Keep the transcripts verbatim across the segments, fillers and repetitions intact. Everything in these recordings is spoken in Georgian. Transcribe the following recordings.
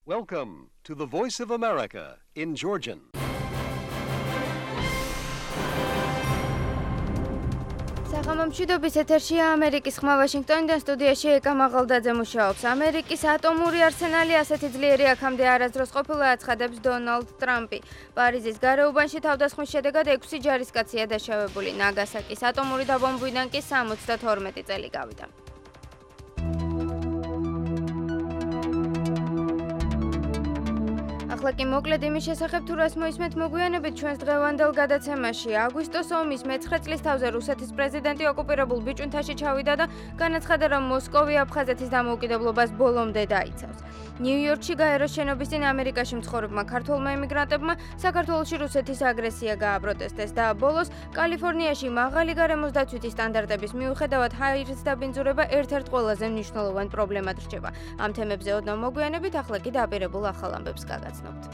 Welcome to the Voice of America in Georgian. საღამომშვიდობის ეთერშია ამერიკის ხმა ვაშინგტონიდან სტუდიაში ეკა მაღალდაძე მუშაობს. ამერიკის ატომური არსენალი ასეთი ძლიერი აქამდე არასდროს ყოფილა აცხადებს დონალდ ტრამპი. პარიზის გარეუბანში თავდასხმის შედეგად ექვსი ჯარისკაცია დაშავებული. ნაგასაკის ატომური დაბომბვიდან კი სამოცდათორმეტი წელი გავიდა. ახლა კი მოკლედ იმის შესახებ თუ რას მოისმენთ მოგვიანებით ჩვენს დღევანდელ გადაცემაში. აგვისტოს ომის მეცხრე წლის თავზე რუსეთის პრეზიდენტი ოკუპირებულ ბიჭუნთაში ჩავიდა და განაცხადა, რომ მოსკოვი აფხაზეთის დამოუკიდებლობას ბოლომდე დაიცავს. ნიუ-იორკში გაეროს შენობის წინ ამერიკაში მცხოვრებმა ქართველმა იმიგრანტებმა საქართველოში რუსეთის აგრესია გააპროტესტეს და ბოლოს კალიფორნიაში მაღალი გარემოს დაცვითი სტანდარტების მიუხედავად ჰაერის დაბინძურება ერთ-ერთ ყველაზე მნიშვნელოვან პრობლემად რჩება. ამ თემებზე ოდნავ მოგვიანებით, ახლა კი დაპირებულ ახალ ამბებს გაგაცნობთ.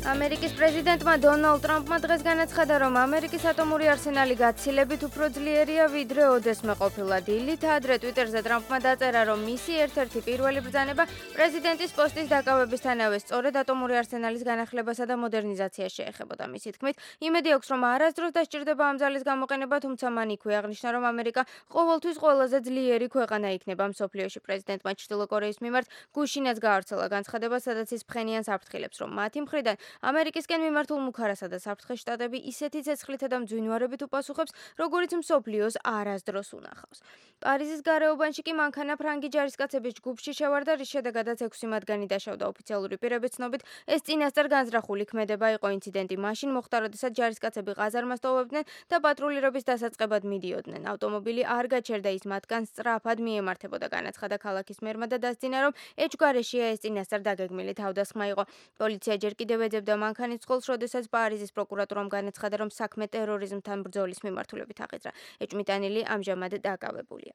ამერიკის პრეზიდენტმა დონალდ ტრამპმა დღეს განაცხადა, რომ ამერიკის ატომური არსენალი გაცილებით უფრო ძლიერია, ვიდრე ოდესმე ყოფილა. დილით ადრე ტვიტერზე ტრამპმა დაწერა, რომ მისი ერთ-ერთი პირველი ბრძანება პრეზიდენტის პოსტის დაკავებისთანავე სწორედ ატომური არსენალის განახლებასა და მოდერნიზაციას შეეხებოდა. მისი თქმით, იმედი აქვს, რომ არასდროს დასჭირდება ამ ძალის გამოყენება, თუმცა მან იქვე აღნიშნა, რომ ამერიკა ყოველთვის ყველაზე ძლიერი ქვეყანა იქნება მსოფლიოში. პრეზიდენტმა ჩრდილო კორეის მიმართ გუშინაც გაავრცელა განცხადება, სადაც ის ფხენიან საფრთხილებს, რომ მათი მხრიდან ამერიკისკენ მიმართულ მუქარასა და საფრთხეს შტატები ისეთი ცეცხლითა და მძვინვარებით უპასუხებს, როგორიც მსოფლიოს არასდროს უნახავს. პარიზის გარეუბანში კი მანქანა ფრანგი ჯარისკაცების ჯგუფში შევარდა, რის შედეგადაც ექვსი მათგანი დაშავდა. ოფიციალური პირების ცნობით, ეს წინასწარ განზრახული ქმედება იყო. ინციდენტი მაშინ მოხდა, როდესაც ჯარისკაცები ყაზარმას ტოვებდნენ და პატრულირების დასაწყებად მიდიოდნენ. ავტომობილი არ გაჩერდა, ის მათგან სწრაფად მიემართებოდა. განაცხადა ქალაქის მერმა და დასძინა, რომ ეჭვგარეშეა ეს წინასწარ დაგეგმილი თავდასხმა იყო. პოლიცია ჯერ კიდევ ეძებდა მანქანის წყოლს, როდესაც პარიზის პროკურატურამ განაცხადა, რომ საქმე ტერორიზმთან ბრძოლის მიმართულებით აღიძრა. ეჭვმიტანილი ამჟამად დაკავებულია.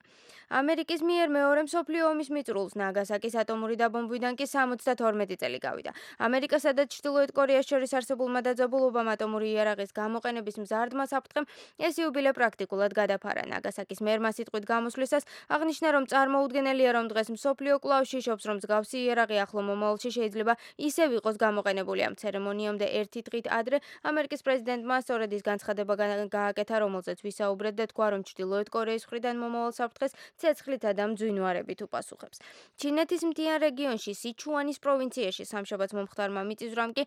ამერიკის მიერ მეორე მსოფლიო ომის მიწურულს ნაგასაკის ატომური დაბომბვიდან კი სამოცდათორმეტი წელი გავიდა. ამერიკასა და ჩრდილოეთ კორეას შორის არსებულმა დაძაბულობამ ატომური იარაღის გამოყენების მზარდმა საფრთხემ ეს იუბილე პრაქტიკულად გადაფარა. ნაგასაკის მერმა სიტყვით გამოსვლისას აღნიშნა, რომ წარმოუდგენელია, რომ დღეს მსოფლიო კვლავ შიშობს, რომ მსგავსი იარაღი ახლო მომავალში შეიძლება ისევ იყოს გამოყენებული. ამ ცერემონიამდე ერთი დღით ადრე ამერიკის პრეზიდენტმა სწორედ ის განცხადება გააკეთა, რომელზეც ვისაუბრეთ და თქვა, რომ ჩრდილოეთ კორეის მხრიდან მომავალ საფრთხეს ცეცხლითა და მძვინვარებით უპასუხებს. ჩინეთის მთიან რეგიონში სიჩუანის პროვინციაში სამშაბათს მომხდარმა მიწისძვრამ კი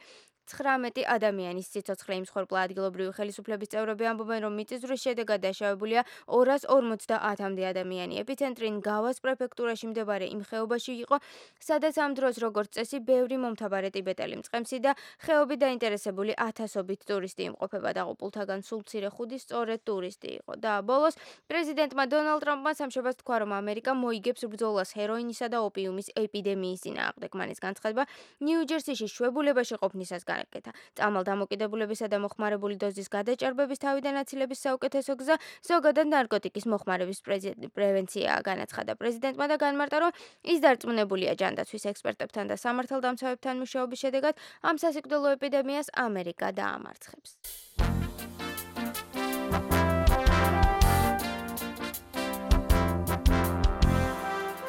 ცხრამეტი ადამიანის სიცოცხლე იმსხვერპლა. ადგილობრივი ხელისუფლების წევრები ამბობენ, რომ მიწისძვრის შედეგად დაშავებულია ორას ორმოცდაათამდე ადამიანი. ეპიცენტრი ნგავას პრეფექტურაში მდებარე იმ ხეობაში იყო, სადაც ამ დროს როგორც წესი ბევრი მომთაბარე ტიბეტელი მწყემსი და ხეობით დაინტერესებული ათასობით ტურისტი იმყოფება. დაღუპულთაგან სულ მცირე ხუდი სწორედ ტურისტი იყო. და ბოლოს პრეზიდენტმა დონალდ ტრამპმა სამშაბათს თქვა, რომ ამერიკა მოიგებს ბრძოლას ჰეროინისა და ოპიუმის ეპიდემიის წინააღმდეგ. მან ეს განცხადება ნიუ-ჯერსიში შვებულებაში ყოფნისას განაკეთა. წამალ დამოკიდებულებისა და მოხმარებული დოზის გადაჭარბების თავიდან აცილების საუკეთესო გზა ზოგადად ნარკოტიკის მოხმარების პრევენციაა, განაცხადა პრეზიდენტმა და განმარტა, რომ ის დარწმუნებულია ჯანდაცვის ექსპერტებთან და სამართალდამცავებთან მუშაობის შედეგად ამ სასიკვდილო ეპიდემიას ამერიკა დაამარცხებს.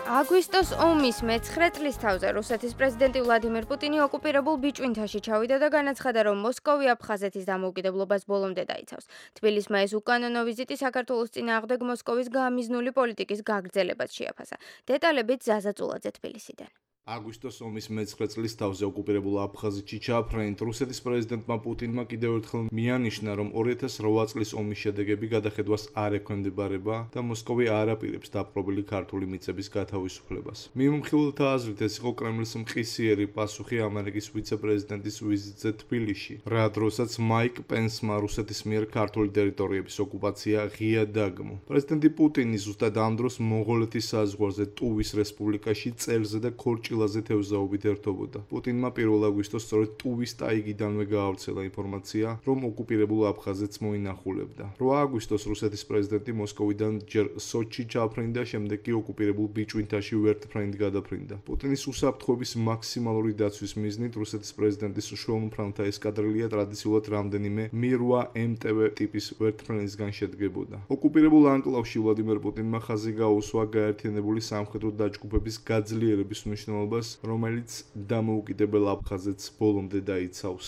აგვისტოს ომის მეცხრე წლის თავზე რუსეთის პრეზიდენტი ვლადიმირ პუტინი ოკუპირებულ ბიჭვინთაში ჩავიდა და განაცხადა, რომ მოსკოვი აფხაზეთის დამოუკიდებლობას ბოლომდე დაიცავს. თბილისმა ეს უკანონო ვიზიტი საქართველოს წინააღმდეგ მოსკოვის გამიზნული პოლიტიკის გაგრძელებად შეაფასა. დეტალებით ზაზა წულაძე თბილისიდან. აგვისტოს ომის მეცხრე წლის თავზე ოკუპირებულ აფხაზეთში ჩაფრენით რუსეთის პრეზიდენტმა პუტინმა კიდევ ერთხელ მიანიშნა, რომ ორი ათას რვა წლის ომის შედეგები გადახედვას არ ექვემდებარება და მოსკოვი არ აპირებს დაპყრობილი ქართული მიწების გათავისუფლებას. მიმოხილველთა აზრით, ეს იყო კრემლის მყისიერი პასუხი ამერიკის ვიცე-პრეზიდენტის ვიზიტზე თბილისში, რა დროსაც მაიკ პენსმა რუსეთის მიერ ქართული ტერიტორიების ოკუპაცია ღია დაგმო. პრეზიდენტი პუტინი ზუსტად ამ დროს მონღოლეთის საზღვარზე ტუვის რესპუბლიკაში წელზე და ქორჭილ შილაზე თევზაობით ერთობოდა. პუტინმა პირველ აგვისტოს სწორედ ტუვის ტაიგიდანვე გაავრცელა ინფორმაცია, რომ ოკუპირებულ აფხაზეთს მოინახულებდა. რვა აგვისტოს რუსეთის პრეზიდენტი მოსკოვიდან ჯერ სოჩი ჩაფრინდა, შემდეგ კი ოკუპირებულ ბიჭვინთაში ვერტფრენდ გადაფრინდა. პუტინის უსაფრთხოების მაქსიმალური დაცვის მიზნით რუსეთის პრეზიდენტის შუამფრენთა ესკადრილია ტრადიციულად რამდენიმე მი რვა ემ ტე ვე ტიპის ვერტფრენდისგან შედგებოდა. ოკუპირებულ ანკლავში ვლადიმერ პუტინმა ხაზი გაუსვა გაერთიანებული სამხედრო დაჯგუფების გაძლიერების მნიშვნელობას, რომელიც დამოუკიდებელ აფხაზეთს ბოლომდე დაიცავს.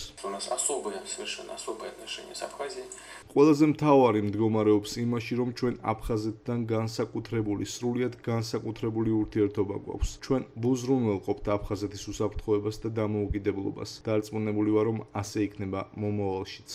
ყველაზე მთავარი მდგომარეობს იმაში, რომ ჩვენ აფხაზეთთან განსაკუთრებული, სრულიად განსაკუთრებული ურთიერთობა გვაქვს. ჩვენ ვუზრუნველყოფთ აფხაზეთის უსაფრთხოებას და დამოუკიდებლობას. დარწმუნებული ვარ, რომ ასე იქნება მომავალშიც.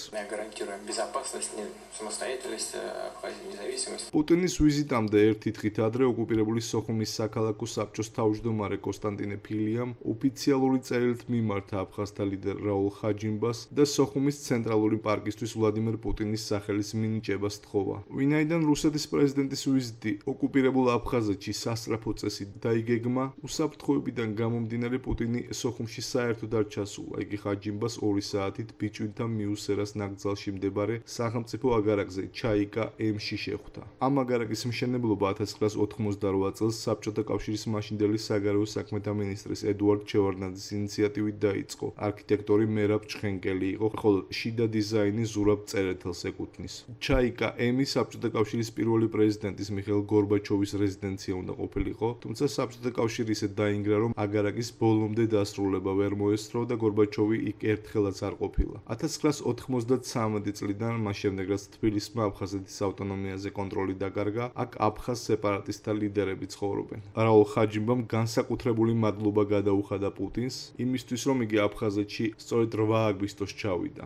პუტინის ვიზიტამდე ერთი დღით ადრე ოკუპირებული სოხუმის საქალაქო საბჭოს თავმჯდომარე კონსტანტინე ფილიამ ოფიციალური წერილით მიმართა აფხაზთა ლიდერ რაულ ხაჯიმბას და სოხუმის ცენტრალური პარკისთვის ვლადიმერ პუტინის სახელის მინიჭებას სთხოვა. ვინაიდან რუსეთის პრეზიდენტის ვიზიტი ოკუპირებულ აფხაზეთში სასწრაფო წესით დაიგეგმა, უსაფრთხოებიდან გამომდინარე პუტინი სოხუმში საერთოდ არ ჩასულა. იგი ხაჯიმბას ორი საათით ბიჭვინთა მიუსერას ნაკრძალში მდებარე სახელმწიფო აგარაკზე ჩაიკა ემში შეხვდა. ამ აგარაკის მშენებლობა ათას ცხრაას ოთხმოცდარვა წელს საბჭოთა კავშირის მაშინდელი საგარეო საქმეთა მინისტრის ედუარდ ჩევარდნაძის ინიციატივით დაიწყო. არქიტექტორი მერაბ ჩხენკელი იყო, ხოლო შიდა დიზაინი ზურაბ წერეთელს ეკუთვნის. ჩაიკა ემი საბჭოთა კავშირის პირველი პრეზიდენტის მიხეილ გორბაჩოვის რეზიდენცია უნდა ყოფილიყო, თუმცა საბჭოთა კავშირი ისე დაინგრა, რომ აგარაკის ბოლომდე დასრულება ვერ მოესწრო და გორბაჩოვი იქ ერთხელაც არ ყოფილა. ათას ცხრაას ოთხმოცდათრამეტი წლიდან, მას შემდეგ რაც თბილისმა აფხაზეთის ავტონომიაზე კონტროლი დაკარგა, აქ აფხაზ სეპარატისტთა ლიდერები ცხოვრობენ. რაულ ხაჯიმბამ განსაკუთრებული მადლობა გადაუხადა პუტინს, იმისთვის, რომ იგი აფხაზეთში სწორედ რვა აგვისტოს ჩავიდა.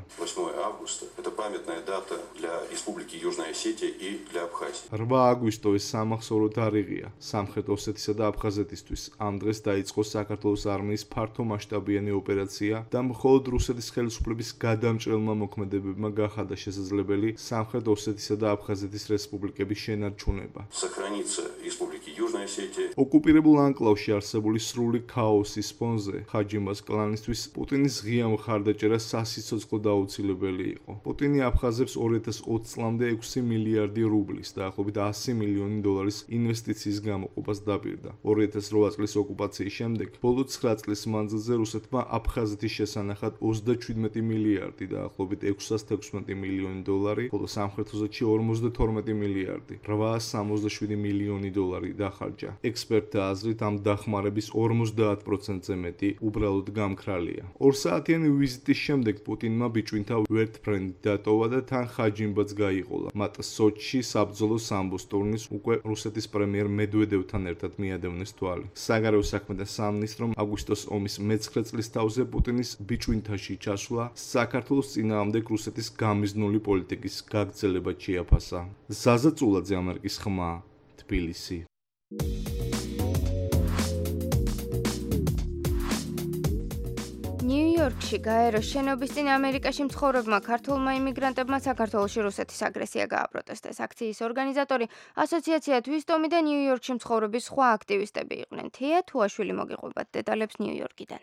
რვა აგვისტო ეს სამახსოვრო თარიღია სამხრეთ ოსეთისა და აფხაზეთისთვის. ამ დღეს დაიწყო საქართველოს არმიის ფართომასშტაბიანი ოპერაცია და მხოლოდ რუსეთის ხელისუფლების გადამჭრელმა მოქმედებებმა გახადა შესაძლებელი სამხრეთ ოსეთისა და აფხაზეთის რესპუბლიკების შენარჩუნება. ოკუპირებულ ანკლავში არსებული სრული ქაოსის ფონზე ხაჯიმბას კლანისთვის პუტინის ღია მხარდაჭერა სასიცოცხლო დაუცილებელი იყო. პუტინი აფხაზებს ორი ათას ოცი წლამდე ექვსი მილიარდი რუბლის, დაახლოებით ასი მილიონი დოლარის ინვესტიციის გამოყოფას დაპირდა. ორი ათას რვა წლის ოკუპაციის შემდეგ, ბოლო ცხრა წლის მანძილზე რუსეთმა აფხაზეთის შესანახად ოცდაჩვიდმეტი მილიარდი, დაახლოებით ექვსას თექვსმეტი მილიონი დოლარი, ხოლო სამხრეთ ოსეთში ორმოცდათორმეტი მილიარდი, რვაას სამოცდაშვიდი მილიონი დოლარი დახარჯა. ექსპერტთა აზრით, ამ დახმარების ორმოცდაათ პროცენტზე მეტი უბრალოდ გამქრალია. ორ საათიანი ვიზიტის შემდეგ პუტინმა ბიჭვინთა ვერტფრენდი დატოვა და თან ხაჯიმბაც გაიყოლა. მათ სოჩში საბრძოლო სამბოს ტურნის უკვე რუსეთის პრემიერ მედვედევთან ერთად მიადევნეს თვალი. საგარეო საქმეთა სამინისტრომ აგვისტოს ომის მეცხრე წლის თავზე პუტინის ბიჭვინთაში ჩასვლა საქართველოს წინააღმდეგ რუსეთის გამიზნული პოლიტიკის გაგრძელებად შეაფასა. ზაზა წულაძე, ამერიკის ხმა, თბილისი. ნიუ-იორკში გაეროს შენობის წინ ამერიკაში მცხოვრებმა ქართულმა იმიგრანტებმა საქართველოში რუსეთის აგრესია გააპროტესტეს. აქციის ორგანიზატორი ასოციაცია თვისტომი და ნიუ-იორკში მცხოვრების სხვა აქტივისტები იყვნენ. თია თუაშვილი მოგიყვებათ დეტალებს ნიუ-იორკიდან.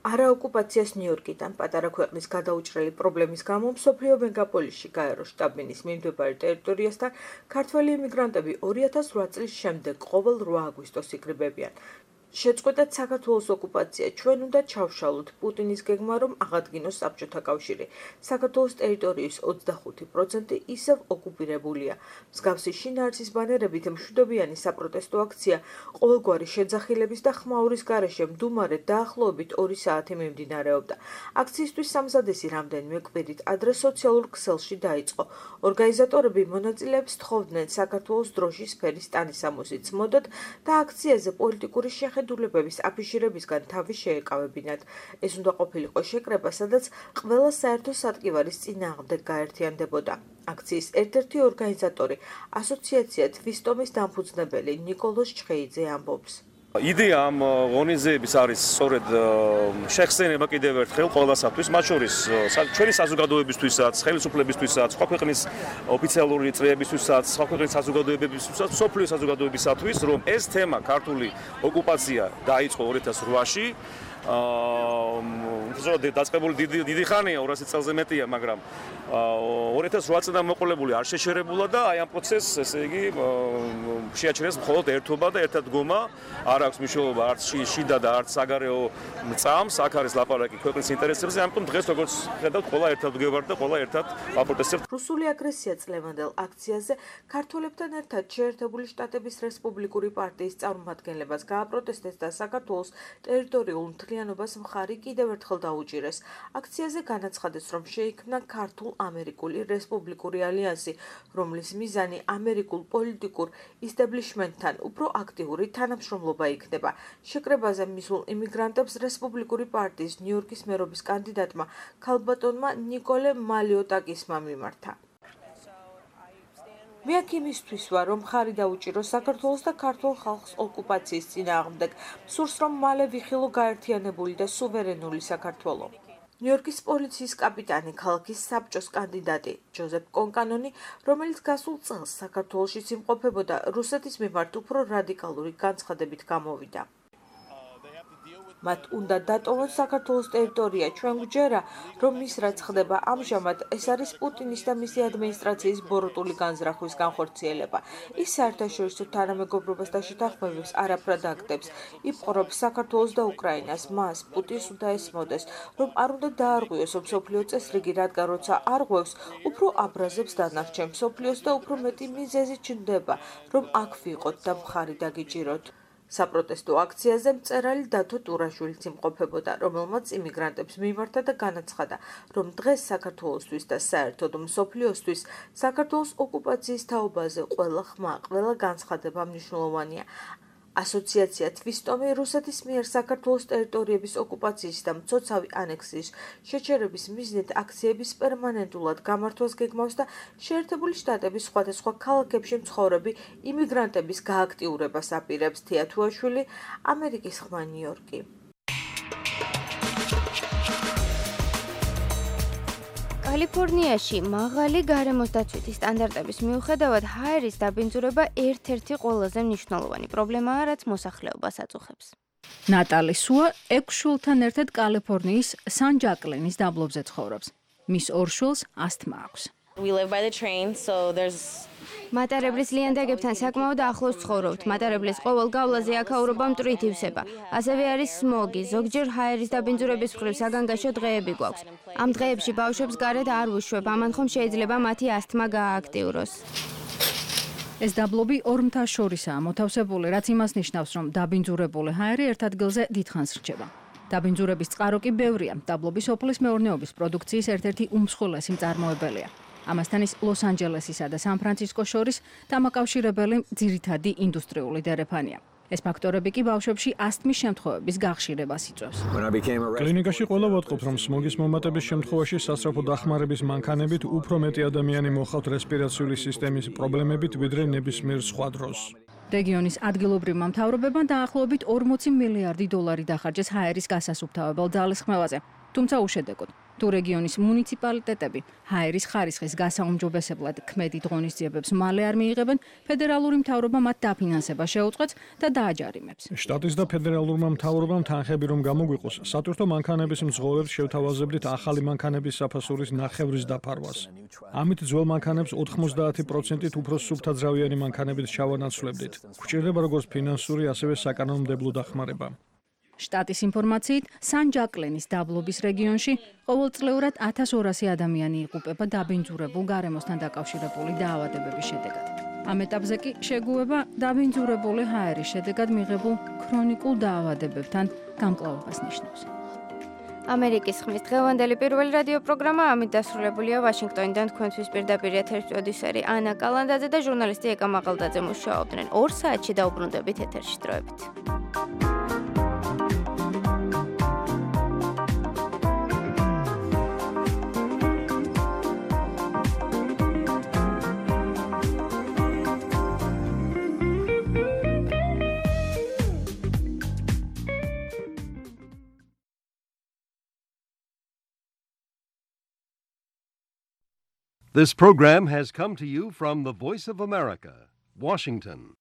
არაოკუპაციას ნიუ-იორკიდან პატარა ქვეყნის გადაუჭრელი პრობლემის გამო მსოფლიო მეგაპოლისში გაეროს შტაბ-ბინის მიმდებარე ტერიტორიასთან ქართველი იმიგრანტები ორი ათას რვა წლის შემდეგ ყოველ რვა აგვისტოს იკრიბებიან. შეწყვეტად საქართველოს ოკუპაცია, ჩვენ უნდა ჩავშალოთ პუტინის გეგმა, რომ აღადგინოს საბჭოთა კავშირი. საქართველოს ტერიტორიის ოცდახუთი პროცენტი ისევ ოკუპირებულია. მსგავსი შინაარსის ბანერებით მშვიდობიანი საპროტესტო აქცია ყოველგვარი შეძახილების და ხმაურის გარეშე მდუმარე დაახლოებით ორი საათი მიმდინარეობდა. აქციისთვის სამზადისი რამდენიმე კვირით ადრე სოციალურ ქსელში დაიწყო. ორგანიზატორები მონაწილეებს თხოვდნენ საქართველოს დროშის ფერის ტანისამოსით მოდოთ და აქციაზე პოლიტიკური შეხედულებების აფიშირებისგან თავი შეეკავებინათ. ეს უნდა ყოფილიყო შეკრება, სადაც ყველა საერთო სატკივარის წინააღმდეგ გაერთიანდებოდა. აქციის ერთ-ერთი ორგანიზატორი, ასოციაცია თვისტომის დამფუძნებელი ნიკოლოზ ჩხეიძე ამბობს. იდეა ამ ღონისძიების არის სწორედ შეხსენება კიდევ ერთხელ ყველასათვის, მათ შორის ჩვენი საზოგადოებისთვისაც, ხელისუფლებისთვისაც, სხვა ქვეყნის ოფიციალური წრეებისთვისაც, სხვა ქვეყნის საზოგადოებებისთვისაც, სოფლიო საზოგადოებისათვის, რომ ეს თემა ქართული ოკუპაცია დაიწყო ორი ათას რვაში. აა დაწყებული დიდი დიდი ხანია, ორასი წელზე მეტია, მაგრამ ორი ათას რვა წლიდან მოყოლებული არ შეშერებულა და აი ამ პროცესს, ესე იგი, შეაჩერეს მხოლოდ ერთობა და ერთადგომა, არ აქვს მნიშვნელობა არც შიდა და არც საგარეო წამს, აქ არის ლაპარაკი ქვეყნის ინტერესებზე, ამიტომ დღეს როგორც ხედავთ, ყველა ერთად ვგევართ და ყველა ერთად ვაპროტესტებთ. რუსული აგრესია წლევანდელ აქციაზე ქართველებთან ერთად შეერთებული შტატების რესპუბლიკური პარტიის წარმომადგენლებას გააპროტესტეს და საქართველოს ტერიტორიულ მთლიანობას მხარი კიდევ ერთხელ დაუჭირეს. აქციაზე განაცხადეს, რომ შეიქმნა ქართულ-ამერიკული რესპუბლიკური ალიანსი, რომლის მიზანი ამერიკულ პოლიტიკურ ისტაბლიშმენტთან უფრო აქტიური თანამშრომლობა იქნება. შეკრებაზე მისულ იმიგრანტებს რესპუბლიკური პარტიის ნიუ-იორკის მერობის კანდიდატმა ქალბატონმა ნიკოლე მალიოტაკისმა მიმართა. მე აქ იმისთვის ვარ, რომ მხარი დაუჭიროს საქართველოს და ქართულ ხალხს ოკუპაციის წინააღმდეგ. სურს, რომ მალე ვიხილო გაერთიანებული და სუვერენული საქართველო. ნიუ-იორკის პოლიციის კაპიტანი, ქალაქის საბჭოს კანდიდატი ჯოზეფ კონკანონი, რომელიც გასულ წელს საქართველოშიც იმყოფებოდა, რუსეთის მიმართ უფრო რადიკალური განცხადებით გამოვიდა. მათ უნდა დატოვონ საქართველოს ტერიტორია. ჩვენ გვჯერა, რომ ის რაც ხდება ამჟამად, ეს არის პუტინის და მისი ადმინისტრაციის ბოროტული განზრახვის განხორციელება. ის საერთაშორისო თანამეგობრობას და შეთანხმებებს არაფრად აკეთებს. იპყრობს საქართველოს და უკრაინას. მას პუტინს უნდა ესმოდეს, რომ არ უნდა დაარღვიოს მსოფლიო წესრიგი, რადგან როცა არღვევს, უფრო აბრაზებს დანარჩენ მსოფლიოს და უფრო მეტი მიზეზი ჩნდება, რომ აქ ვიყოთ და მხარი დაგიჭიროთ. საპროტესტო აქციაზე მწერალი დათო ტურაშვილიც იმყოფებოდა, რომელმაც იმიგრანტებს მიმართა და განაცხადა, რომ დღეს საქართველოსთვის და საერთოდ მსოფლიოსთვის საქართველოს ოკუპაციის თაობაზე ყველა ხმა, ყველა განცხადება მნიშვნელოვანია. ასოციაცია თვისტომი რუსეთის მიერ საქართველოს ტერიტორიების ოკუპაციის და მცოცავი ანექსიის შეჩერების მიზნით აქციების პერმანენტულად გამართვას გეგმავს და შეერთებული შტატების სხვადასხვა ქალაქებში მცხოვრები იმიგრანტების გააქტიურებას აპირებს. თეათუაშვილი, ამერიკის ხმა, ნიუ-იორკი. კალიფორნიაში მაღალი გარემოს დაცვითი სტანდარტების მიუხედავად ჰაერის დაბინძურება ერთ-ერთი ყველაზე მნიშვნელოვანი პრობლემაა, რაც მოსახლეობას აწუხებს. ნატალი სუა ექვს შვილთან ერთად კალიფორნიის სან-ჯაკლინის დაბლობზე ცხოვრობს. მის ორ შვილს ასთმა აქვს. We live by the train, so there's მატარებლის ლიანდაგებთან საკმაოდ ახლოს ცხოვრობთ. მატარებლის ყოველ გავლაზე აქაურობა მტვრით ივსება. ასევე არის სმოგი. ზოგჯერ ჰაერის დაბინძურების მხრივ საგანგაშო დღეები გვაქვს. ამ დღეებში ბავშვებს გარეთ არ ვუშვებ, ამან ხომ შეიძლება მათი ასთმა გაააქტიუროს. ეს დაბლობი ორ მთას შორისაა მოთავსებული, რაც იმას ნიშნავს, რომ დაბინძურებული ჰაერი ერთ ადგილზე დიდხანს რჩება. დაბინძურების წყარო კი ბევრია. დაბლობი სოფლის მეურნეობის პროდუქციის ერთ-ერთი უმსხვილესი მწარმოებელია. ამასთან ის ლოს-ანჯელესისა და სან-ფრანცისკოს შორის დამაკავშირებელი ძირითადი ინდუსტრიული დერეფანია. ეს ფაქტორები კი ბავშვებში ასთმის შემთხვევების გახშირებას იწვევს. კლინიკაში ყველა ვატყობთ, რომ სმოგის მომატების შემთხვევაში სასწრაფო დახმარების მანქანებით უფრო მეტი ადამიანი მოხავთ რესპირაციული სისტემის პრობლემებით, ვიდრე ნებისმიერ სხვა დროს. რეგიონის ადგილობრივმა მთავრობებმა დაახლოებით ორმოცი მილიარდი დოლარი დახარჯეს ჰაერის გასასუფთავებელ ძალისხმევაზე. თუმცა უშედეგოდ, თუ რეგიონის მუნიციპალიტეტები ჰაერის ხარისხის გასაუმჯობესებლად ქმედით ღონისძიებებს მალე არ მიიღებენ, ფედერალური მთავრობა მათ დაფინანსება შეუწყებს და დააჯარიმებს. შტატის და ფედერალურმა მთავრობამ თანხები რომ გამოგვიყოს, სატვირთო მანქანების მძღოლებს შევთავაზებდით ახალი მანქანების საფასურის ნახევრის დაფარვას. ამით ძველ მანქანებს ოთხმოცდაათი პროცენტით უფრო სუფთაძრავიანი მანქანებით ჩავანაცვლებდით. გვჭირდება როგორც ფინანსური, ასევე საკანონმდებლო დახმარება. შტატის ინფორმაციით, სან-ჯაკლინის დაბლობის რეგიონში ყოველწლიურად ათას ორასი ადამიანი იღუპება დაბინძურებულ გარემოსთან დაკავშირებული დაავადებების შედეგად. ამ ეტაპზე კი შეგუება დაბინძურებული ჰაერის შედეგად მიღებულ ქრონიკულ დაავადებებთან გამკლავებას ნიშნავს. ამერიკის ხმის დღევანდელი პირველი რადიო პროგრამა ამით დასრულებულია. ვაშინგტონიდან თქვენთვის პირდაპირ ეთერში პროდიუსერი ანა კალანდაძე და ჟურნალისტი ეკა მაყალდაძე მუშაობდნენ. ორ საათში დაუბრუნდებით ეთერში დროებით. This program has come to you from the Voice of America, Washington.